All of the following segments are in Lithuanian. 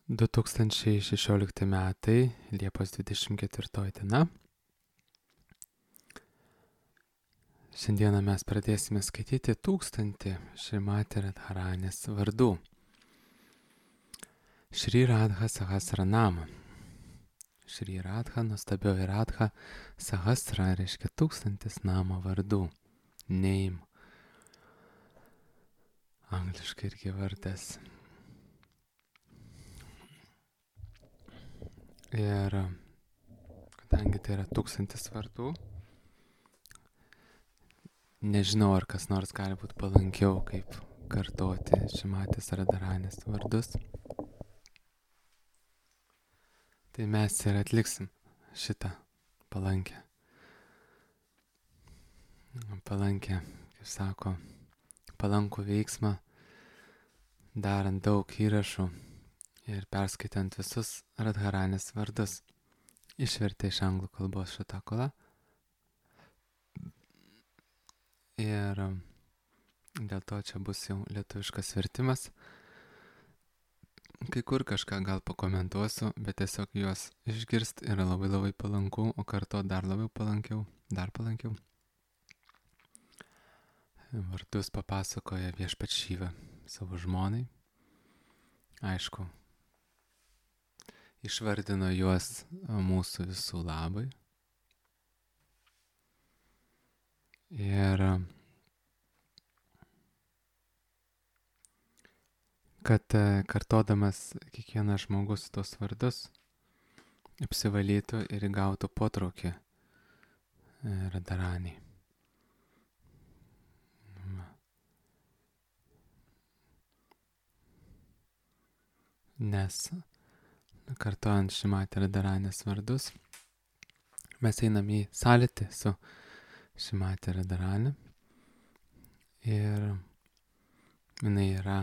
2016 metai, Liepos 24 diena. Šiandieną mes pradėsime skaityti 1000 Šrimati Radharanės vardų. Šri Radha Sahasranama. Šri Radha, nuostabioji Radha, Sahasra reiškia 1000 namo vardų. Name. Angliškai irgi vardas. Ir kadangi tai yra 1000 vardų, nežinau, ar kas nors gali būti palankiau, kaip kartoti Šrimatės Radharanės vardus. Tai mes ir atliksim šitą palankę, kaip sako, palankų veiksmą, darant daug įrašų ir perskaitant visus Radharanės vardus. Išvertė iš anglų kalbos Šatakola. Ir dėl to čia bus jau lietuviškas vertimas. Kai kur kažką gal pakomentuosiu, bet tiesiog juos išgirst yra labai palanku, o kartu dar labiau palankiau, dar palankiau. Vardus papasakoja Viešpats Šiva savo žmonai. Aišku, išvardino juos mūsų visų labai. Ir kad kartodamas kiekvienas žmogus tos vardus apsivalytų ir įgautų potraukį Radharaniai. Nes kartojant Šrimatį Radharanės vardus, mes einam į sąlytį su Šrimatį Radharanė ir jinai yra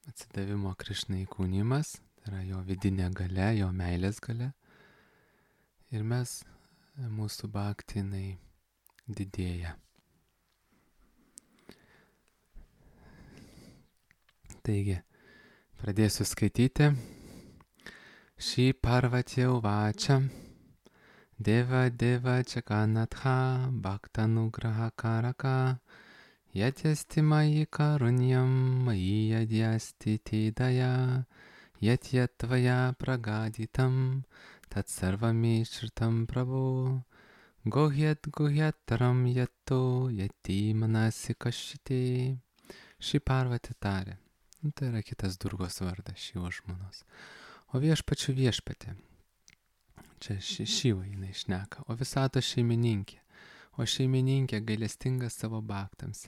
atsidavimo Krišnai įkūnimas, tai yra jo vidinė galia, jo meilės galia, ir mūsų bhakti jinai didėja. Taigi, pradėsiu skaityti. Shri Parvati Uvacha Deva Jaganatha Bhaktanugraha Karaka Yatyasti Mayi Karunyam Mayi Yadyasti Tidaya Yatyatvaya Pragaditam Tat Sarvami Shritam Prabhu Guhyataram Yatto Yati Manasi Kashiti. Shri Parvati tarė. Tai yra kitas Durgos vardas, Šivo žmonos. O viešpačių viešpatė. Čia Šiva jinai šneka. O visato šeimininkė. O šeimininkė gailestingas savo bhaktams.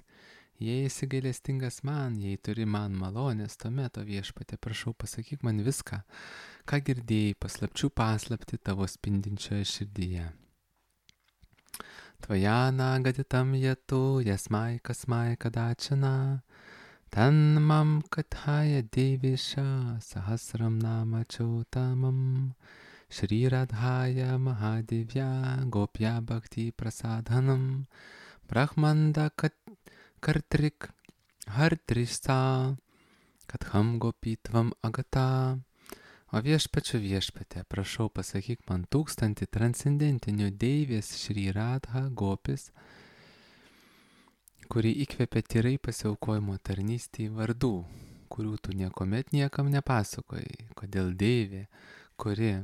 Jei esi gailestingas man, jei turi man malonės, tuomet, o viešpatė, prašau, pasakyk man viską, ką girdėjai, paslapčių paslapti tavo spindinčioje širdyje. Tvajana gaditam jetu, jasmai kasmai kadačana, tan mam kathaya devisha sahasram nama chotamam Shri Radhaya Mahadevya Gopya Bhakti Prasadhanam Brahmanda Kartrik Hartrisa Katham Gopitvam Agata. O viešpačių viešpatė, prašau, pasakyk man 1000 transcendentinių deivės Shri Radha Gopis, kuri įkvėpė tyrai pasiaukojimo tarnystėj vardų, kurių tu niekuomet niekam nepasakojai. Kodėl deivė, kuri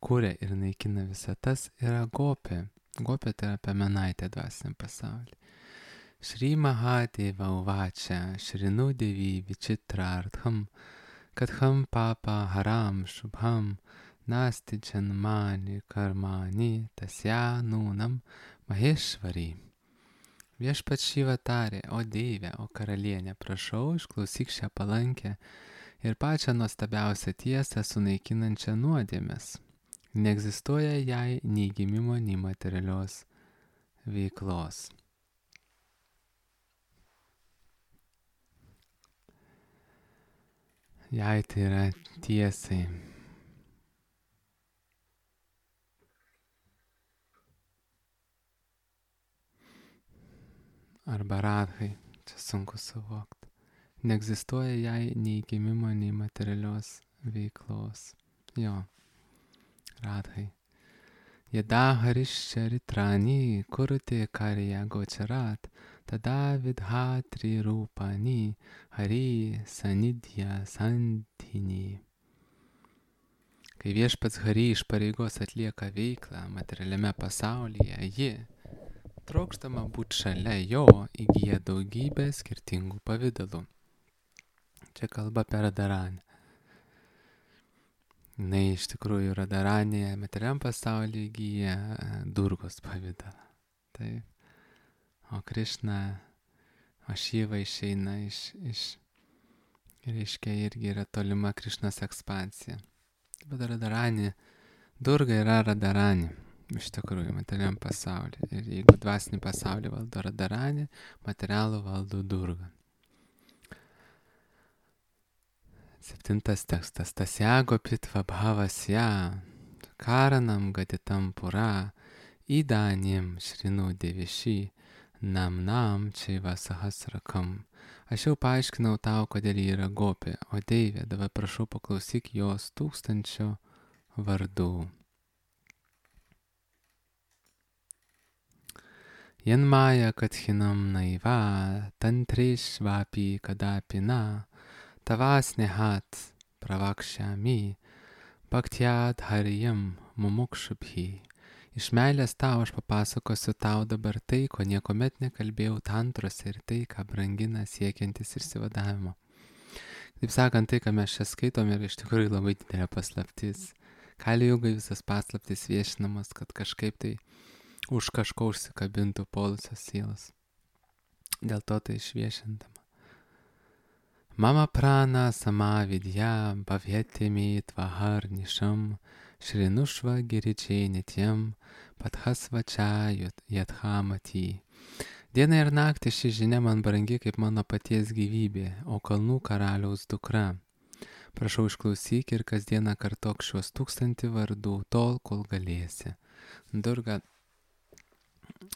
kuria ir naikina visatas, yra Gopė. Gopė tai yra piemenaitė dvasiniam pasaulyje. Shri Mahadeva Uvacha Shrinu Devi Vichitrartham Katham Papa Haram Shubham Nasti Janmani Karmani Tasya Nūnam Maheshvari. Viešpats Šiva tarė, o deivė, o karalienė, prašau, išklausyk šią palankę ir pačią nuostabiausią tiesą sunaikinančią nuodėmes. Neegzistuoja jai nei gimimo, nei materialios veiklos. Jai tai yra tiesai. Arba radhai, čia sunku suvokti. Neegzistuoja jai nei gimimo, nei materialios veiklos. Jo, Radhai. Yada Harishcharitrani kurute karya gocharat, tada vidhatri rūpani Hari sanidhya santini. Kai viešpats Hari iš pareigos atlieka veiklą materialiame pasaulyje, ji, trokštama būti šalia jo, įgyja daugybę skirtingų pavydalų. Čia kalba apie Radharanį. Jis iš tikrųjų Radharanėje materialiam pasaulyje įgyja Durgos pavydalą. Taip. O Krišna, o Šiva išeina reiškia irgi yra tolima Krišnos ekspansija. Bet Radharanė, Durga yra Radharanė, iš tikrųjų, materialiam pasaulyje. Ir jeigu dvasinį pasaulį valdo Radharanė, materialų valdo Durga. 7 tekstas. Tasyago pitva bhavasya karanam gaditam pura idanim šrinu deviši namnam čaiva sahasrakam. Aš jau paaiškinau tau, kodėl ji yra gopė, o Deivė, dabar prašau paklausyk jos 1000 vardų. Janmaya kathinam naiva tantrishvapi kadapina Tavasnehat pravakšami bhaktyat haryam mumukshubhi. Iš meilės tau aš papasakosiu tau dabar tai, ko niekuomet nekalbėjau tantrose ir tai, ką brangina siekiantis išsivadavimo. Taip sakant, tai, ką mes čia skaitom, yra iš tikrųjų labai didelė paslaptis. Kali jugai visas paslaptis viešinamas, kad kažkaip tai už kažko užsikabintų polusios sielos. Dėl to tai išviešintama. Mama prana samavidya bhavyatimi tvahar nisham shrinushva giričiai nityam pathasva čia yadhamati. Diena ir naktį ši žinia man brangi kaip mano paties gyvybė, o kalnų karaliaus dukra. Prašau išklausyk ir kasdieną kartok šiuos 1000 vardų tol, kol galėsi. Durga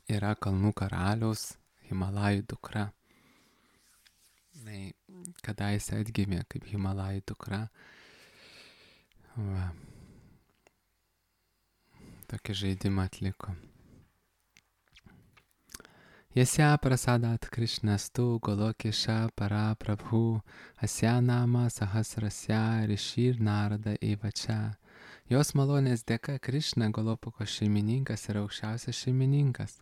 yra kalnų karaliaus Himalajų dukra. Kadaise atgimė kaip Himalajų dukra. Va. Tokį žaidimą atliko. Yasya prasadat Krishnastu golokesha para prabhu asya nama sahasrasya rishir narada evačia. Jos malonės dėka Krišna, Golopako šeimininkas, yra aukščiausias šeimininkas.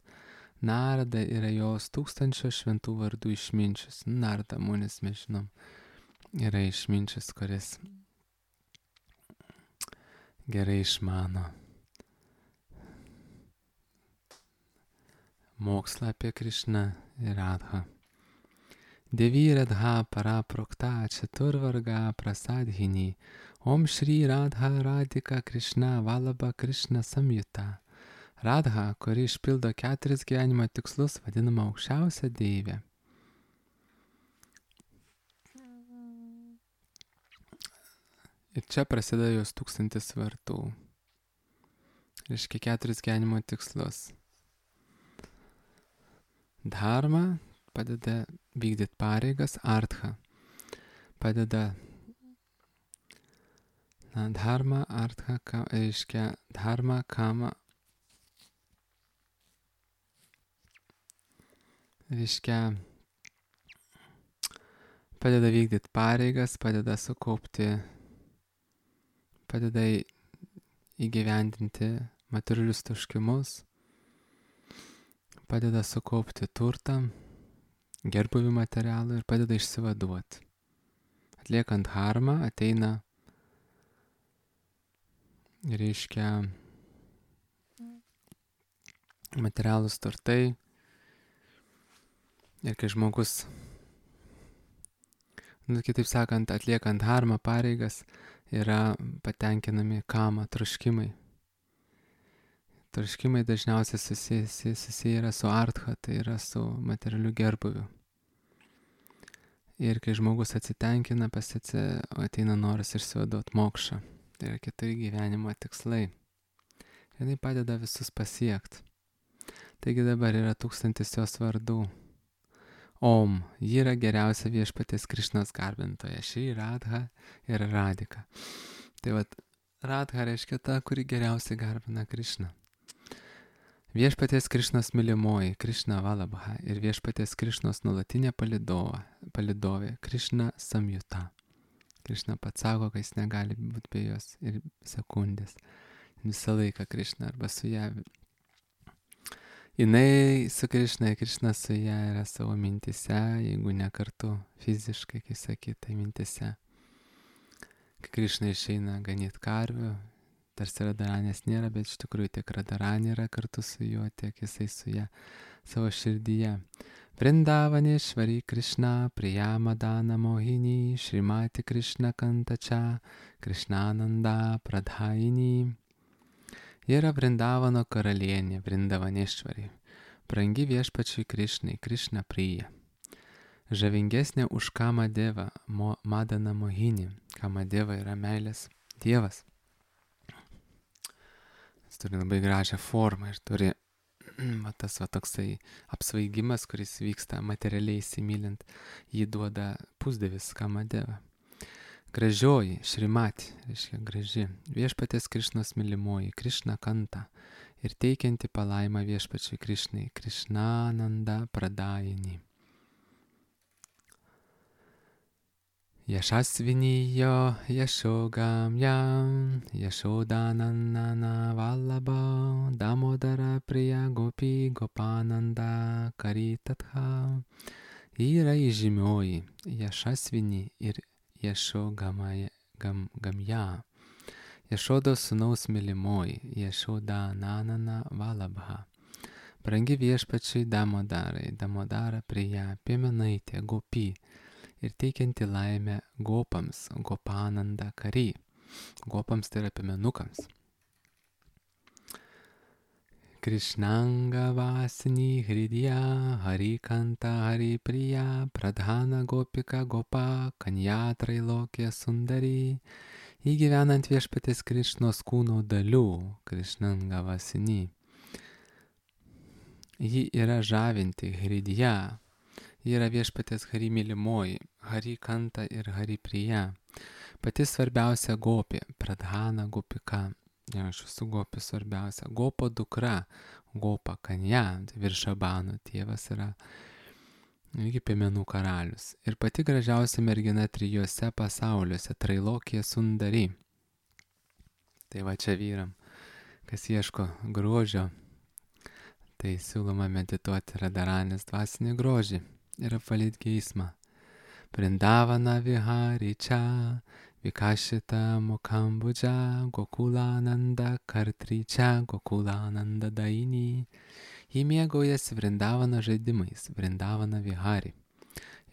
Narada yra jos 1000 šventų vardų išminčius. Narada, munis, mes žinom, yra išminčius, kuris gerai išmano mokslą apie Krišną ir Radhą. Devi Radha paraprokta chaturvarga prasadhini Om Shri Radha Radhika Krishna Valabha Krishna Samyuta. Radha, kuri išpildo 4 gyvenimo tikslus, vadinama aukščiausia Deivė. Ir čia prasideda jos 1000 vardų. Reiškia 4 gyvenimo tikslus. Dharma padeda vykdyti pareigas, Artha padeda dharma, Artha, reiškia dharma, kama, reiškia padeda vykdyti pareigas, padeda sukaupti, padeda įgyvendinti materialius troškimus, padeda sukaupti turtą, gerbūvį materialų ir padeda išsivaduoti. Atliekant dharmą ateina, reiškia, materialūs turtai. Ir kai žmogus, kitaip sakant, atliekant dharmą pareigas, yra patenkinami kama, troškimai. Troškimai dažniausiai susiję yra su artha, tai yra su materialiu gerbūviu. Ir kai žmogus atsitenkina, ateina noras išsivaduoti mokšą. Tai yra 4 gyvenimo tikslai. Ir tai padeda visus pasiekti. Taigi dabar yra 1000 jos vardų. Om. Ji yra geriausia viešpaties Krišnos garbintoja. Šri Radha ir Radhika. Tai vat, Radha reiškia ta, kuri geriausiai garbina Krišną. Viešpaties Krišnos mylimoji Krišna Valabha ir viešpaties Krišnos nuolatinė palidovė Krišna Samjuta. Krišna pats sako, kad jis negali būti be jos ir sekundės. Visą laiką Krišna arba su ją. Jinai su Krišna, Krišna su ją yra savo mintise, jeigu ne kartu fiziškai, kai sakytai mintise. Kai Krišna išeina ganyti karvių, tarsi Radaranės nėra, bet iš tikrųjų tiek Radaranė yra kartu su juo, tiek jisai su ją savo širdyje. Vrindavaneshvari Krišna, Priyamadana Mohini, Šrimati Krišna Kantača, Krišnananda Pradhaini. Ji yra Vrindavano karalienė, Vrindavaneshvari, brangi viešpačiui Krišnai, Krišna Priya. Žavingesnė už Kamadevą, Madana Mohini. Kamadeva yra meilės dievas. Jis turi labai gražią formą ir turi tas toksai apsvaigimas, kuris vyksta materialiai įsimylint, jį duoda pusdievis Kamadeva. Gražioji, Šrimati, reiškia graži, viešpaties Krišnos mylimoji, Krišna Kanta ir teikianti palaimą viešpačiui Krišnai, Krišnananda Pradayini. Yashasviniyo Yashogamyam Yashodananana Vallabha Damodara Priya Gopi Gopananda Karitatha. Ji yra įžymioji Yashasvini ir Yashogamya. Yashodos sūnaus mylimoji Yashodananana Vallabha. Brangi viešpačiai Damodarai, Damodara Priya, piemenaitė Gopi. Ir teikianti laimę gopams, Gopananda Kari. Gopams tai yra piemenukams. Krishnanga Vasini Hridya, Harikanta Haripriya, Pradhana Gopika Gopa, Kanyatrai Lokė Sundari. Įgyvenant viešpatės Krišnos kūno dalių, Krishnanga Vasini. Ji yra žavinti Hridya. Ji yra viešpatės Hari mylimoji, Hari Kanta ir Hari Priya. Pati svarbiausia gopė, Pradhana Gopika. Aš esu gopė svarbiausia. Gopo dukra, Gopa Kanya, Viršabano tėvas yra irgi piemenų karalius. Ir pati gražiausia mergina trijuose pasauliuose, Trailokė Sundari. Tai va čia vyram, kas ieško grožio, tai siūloma medituoti Radaranės dvasinį grožį. Ir apvalyt geismą. Vrindavana Vihari čia, Vikashita Mokambudža, Gokulananda Kartri čia, Gokulananda Daini. Ji mėgaujasi Vrindavana žaidimais, Vrindavana Vihari.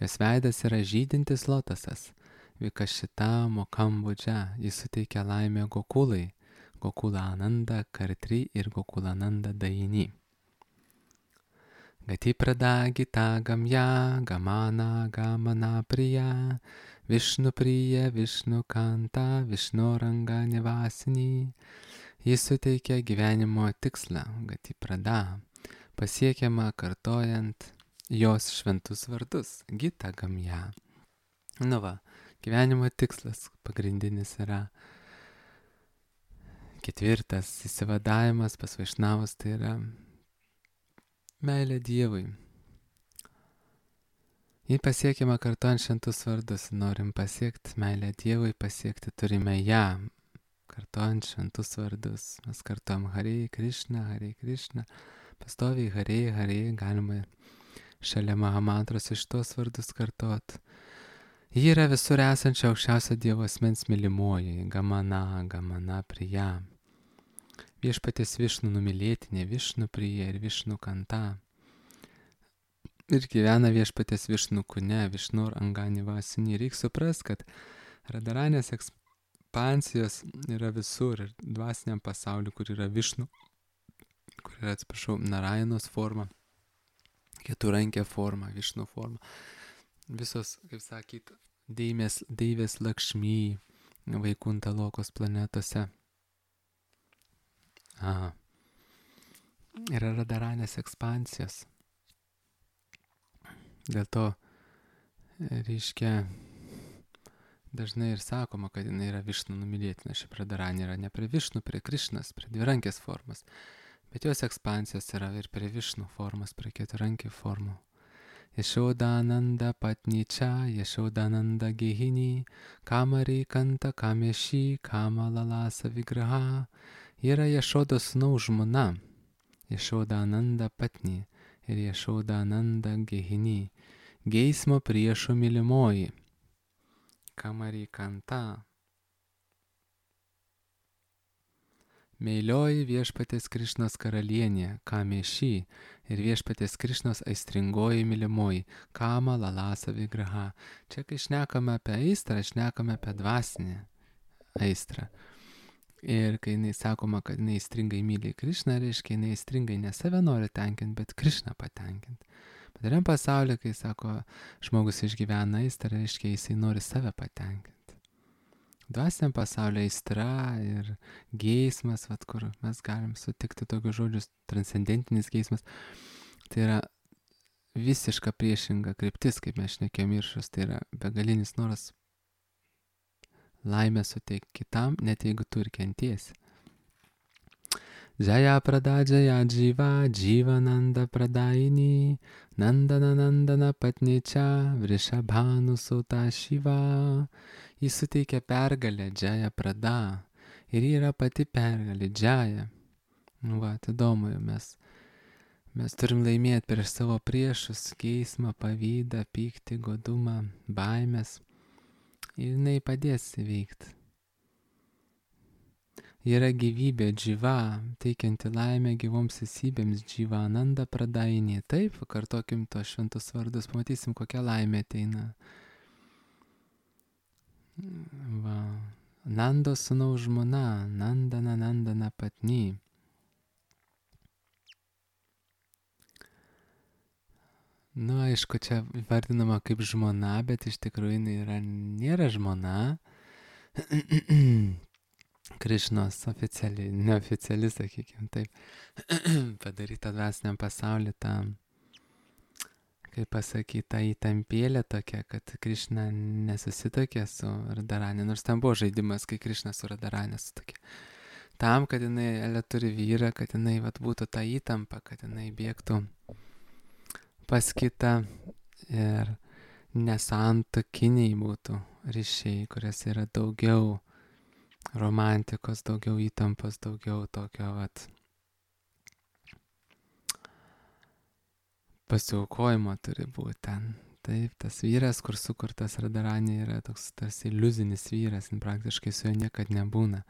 Jos veidas yra žydintis lotasas. Vikashita Mokambudža, jis suteikia laimę Gokulai, Gokulananda Kartri ir Gokulananda Daini. Gati Prada Gita Gamya, Gamana Gamana Priya, Vishnu Priya, Vishnu Kanta, Vishnu Ranga Nivasini. Jis suteikia gyvenimo tikslą, Gati Prada, pasiekiama kartojant jos šventus vardus, Gita Gamya. Nu va, gyvenimo tikslas pagrindinis yra ketvirtas įsivadavimas pas Vaišnavus, tai yra meilė Dievui. Jį pasiekiama kartuojant šventus vardus. Norim pasiekti meilę Dievui, pasiekti turime ją. Kartuojant šventus vardus. Mes kartuojam Hare Krishna. Pastoviai Hare, galima šalia Mahamantros iš tos vardus kartuot. Ji yra visur esančia aukščiausio Dievo asmens mylimoji, Gamana Priya. Viešpaties Višnu numylėtinė, Višnu Priya ir Višnu Kanta. Ir gyvena viešpaties Višnu kūne, Višnu Ranga Nivasini. Reikia suprast, kad Radaranės ekspansijos yra visur ir dvasiniam pasauliu, kur yra Višnu, kur yra, Narajanos forma, keturankė forma, Višnu forma. Visos, kaip sakyt, deivės Lakšmy, Vaikunta Lokos planetose. Yra Radaranės ekspansijos. Dėl to, reiškia, dažnai ir sakoma, kad jinai yra Višnu numylėtina. Ši Radharani yra ne prie Višnu, prie Krišnas, prie dvirankės formos. Bet jos ekspansijos yra ir prie Višnu formos, prie keturankį formų. Yashodananda patnicha, Yashodananda gihini, Kamari kanta kameši, Kamalalasa vigraha. Yra Yashodos sūnaus žmona, Yashodananda patni ir Yashodananda gihini, geismo priešo mylimoji. Kamari kanta. Meilioji viešpatės Krišnos karalienė, Kameši, ir viešpatės Krišnos aistringoji mylimoji, Kama Lalasa vigraha. Čia, kai šnekame apie aistrą, šnekame apie dvasinę aistrą. Ir kai jinai sakoma, kad jinai aistringai myli Krišną, reiškia, jinai aistringai ne save nori tenkinti, bet Krišną patenkinti. Padariam pasaulyje, kai sako, žmogus išgyvena aistrą, reiškia, jisai nori save patenkinti. Dvasiniam pasaulyje aistra ir geismas, vat, kur mes galim sutikti tokius žodžius, transcendentinis geismas, tai yra visiška priešinga kryptis, kaip mes šnekėjom Iršus, tai yra begalinis noras laimę suteikti kitam, net jeigu tu ir kentiesi. Jaya prada jaya jiva, jiva nanda pradaini, nandana nandana patnicha, vrishabhanu suta shiva. Jis suteikia pergalę, Jaya prada. Ir yra pati pergalė, Jaya. Va, tai įdomu, mes turim laimėti prieš savo priešus, geismą, pavydą, pyktį, godumą, baimės. Ir jinai padės įveikti. Yra gyvybė, dživa, teikianti laimę gyvoms esybėms, dživa, nanda pradainė. Taip, kartokim to šventus vardus, pamatysim, kokia laimė ateina. Va. Nando sūnaus žmona, nandana nandana patni. Nu, aišku, čia vardinama kaip žmona, bet iš tikrųjų jinai nėra žmona. Krišnos oficialiai, neoficiali, sakykime, taip, padaryta dvasiniam pasauliu tą, kaip pasakyta, įtampėlė tokia, kad Krišna nesusitokė su Radharani, nors ten buvo žaidimas, kai Krišna su Radharani susitokė. Tam, kad jinai turi vyrą, kad jinai vat, būtų ta įtampa, kad jinai bėgtų pas kitą ir nesantokiniai būtų ryšiai, kuriuose yra daugiau romantikos, daugiau įtampos, daugiau tokio vat pasiaukojimo turi būti ten. Taip, tas vyras, kur sukurtas Radharani, yra toks tarsi iliuzinis vyras, praktiškai su juo niekad nebūna.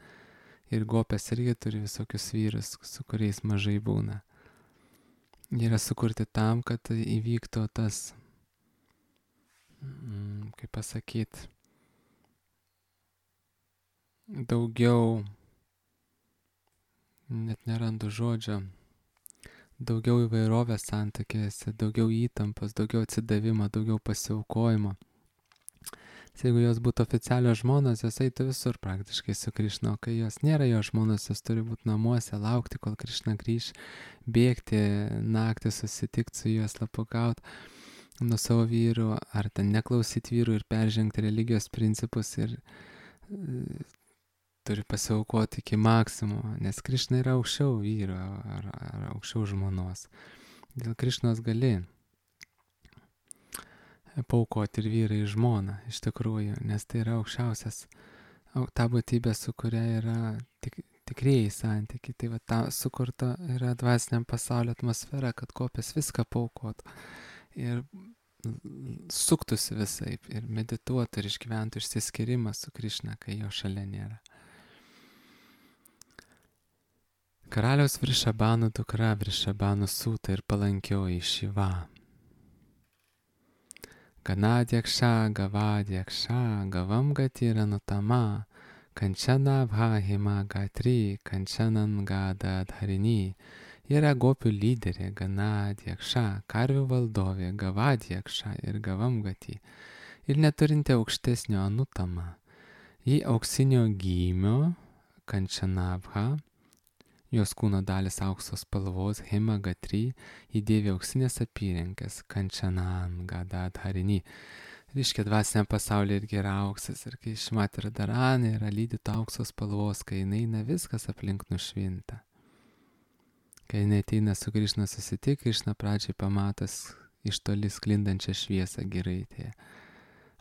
Ir gopės irgi turi visokius vyrus, su kuriais mažai būna. Jie yra sukurti tam, kad įvyktų tas, kaip pasakyti, daugiau, net nerandu žodžio, daugiau įvairovės santykiuose, daugiau įtampos, daugiau atsidavimo, daugiau pasiaukojimo. Jeigu jos būtų oficialios žmonos, jos eitų visur praktiškai su Krišna, o kai jos nėra jo žmonos, jos turi būti namuose, laukti, kol Krišna grįš, bėgti naktį, susitikti su juos, slapukauti nuo savo vyrų, ar ten neklausyti vyrų ir peržengti religijos principus ir turi pasiaukoti iki maksimumo, nes Krišna yra aukščiau vyro ar aukščiau žmonos. Dėl Krišnos gali paaukoti ir vyrą į žmoną, iš tikrųjų, nes tai yra aukščiausias, ta būtybė, su kuria yra tikrieji santykiai. Tai va, ta sukurta yra dvasiniam pasaulio atmosfera, kad kopės viską paaukot ir suktųsi visaip ir medituotų ir išgyventų išsiskyrimą su Krišna, kai jo šalia nėra. Karaliaus Vrishabhano dukra, Vrishabhano sūta ir palankioji Šiva. Ganadyaksha, Gavadyaksha, Gavam Gatira Nutama, Kanchana Bhahima Gatri, Kanchanan Gada Dharini. Yra gopių lyderė, Ganadyaksha, karvių valdovė, Gavadyaksha ir Gavam Gati. Ir neturinti aukštesnio Anutama. Ji auksinio gymio, Kanchanabha, Jos kūno dalis aukso spalvos, Himagatri, įdėvi auksinės apyrenkės, Kančanan, Gadadharini. Reiškia, dvasiniam pasaulyje irgi yra auksas. Ir kai Šrimati Radharani yra lydyta aukso spalvos, kai jinai eina, viskas aplink nušvinta. Kai jinai ateina su Krišna susitik, Krišna pradžiai pamatas iš toli sklindančią šviesą giraitėje,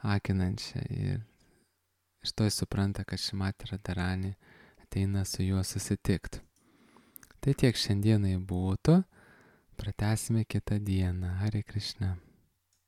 akinančią. Ir iš to jis supranta, kad Šrimati Radharani ateina su juo susitikti. Tai tiek šiandienai būtų, pratęsime kitą dieną. Hare Krishna.